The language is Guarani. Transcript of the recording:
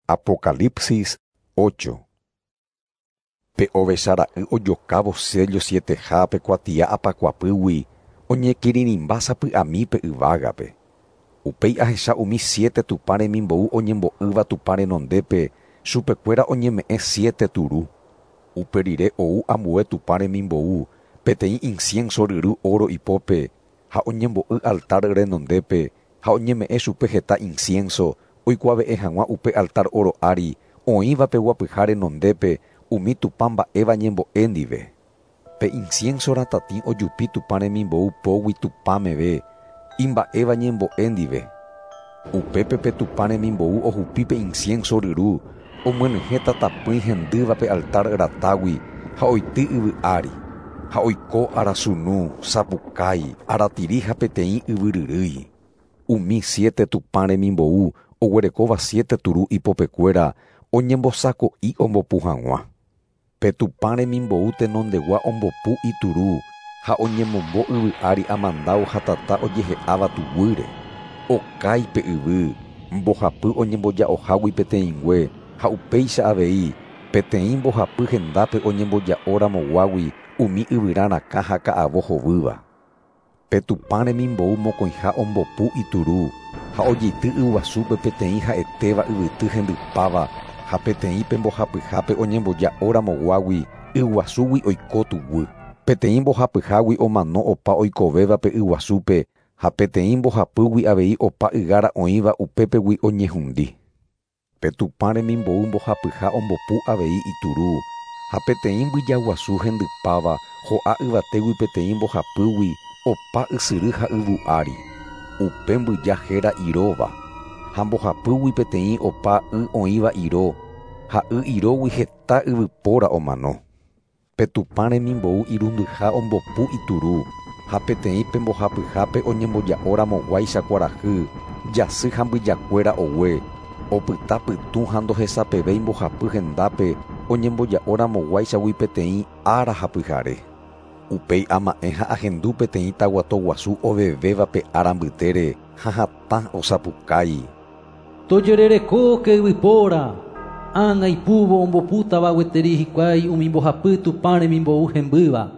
Apocalipsis 8. Pe ovechara'y ojokávo sello sietehápe kuatia apakuapýgui oñekirirĩmba sapy'ami pe yvágape. Upéi ahecha umi siete Tupã remimbou oñembo'ýva Tupã renondépe chupekuéra oñeme'ẽ siete turu. Upe rire ou ambue Tupã remimbou peteĩ incienso ryru oro ipópe ha oñembo'y altar renondépe ha oñeme'ẽ chupe heta incienso oikuave'ẽ hag̃ua upe altar oro ári oĩva pe guapyha renondépe umi Tupã mba'éva ñembo'e ndive. Pe incienso ratatĩ ojupi Tupã remimbou pógui Tupã meve imba'éva ñembo'e ndive. Upépe pe Tupã remimbou ohupi pe incienso ryru omyenyhẽ tatapỹi hendýva pe altar ratágui ha oity yvy ári. Ha oiko arasunu, sapukái, aratiri ha peteĩ yvyryrýi. Umi siete Tupã remimbou oguerekóva siete turu ipopekuéra oñembosako'i ombopu hag̃ua. Pe Tupã remimbou tenondegua ombopu ituru ha oñemombo yvy ári amandáu ha tata ojehe'áva tuguýre. Okái pe yvy, mbohapy oñemboja'ohágui peteĩngue ha upéicha avei peteĩ mbohapy hendápe oñemboja'oramoguágui umi yvyra rakã ha ka'avo hovýva. Pe Tupã remimbou mokõiha ombopu ituru ha ojeity yguasúpe peteĩ ha'etéva yvyty hendypáva ha peteĩ pe mbohapyhápe oñemboja'oramoguágui yguasúgui oiko tuguy. Peteĩ mbohapyhágui omano opa oikovéva pe yguasúpe ha peteĩ mbohapýgui avei opa ygára oĩva upépegui oñehundi. Pe Tupã remimbou mbohapyha ombopu avei ituru ha peteĩ mbyja guasu hendypáva ho'a yvatégui peteĩ mbohapýgui opa ysyry ha yvu ári. Upe mbyja héra iróva ha mbohapýgui peteĩ opa y oĩva iro ha y irógui heta yvypóra omano. Pe Tupã remimbou irundyha ombopu ituru ha peteĩ pe mbohapyhápe oñemboja'oramoguáicha kuarahy jasy ha mbyjakuéra ogue opyta pytũ ha ndohesapevéi mbohapy hendápe oñemboja'oramoguáichagui peteĩ ára ha pyhare. Upéi ama'ẽ ha ahendu peteĩ taguato guasu ovevéva pe ára mbytére ha hatã osapukái. Tojererekóke yvypóra, ág̃a ipúvo ombopútava gueteri hikuái umi mbohapy Tupã remimbou hembýva.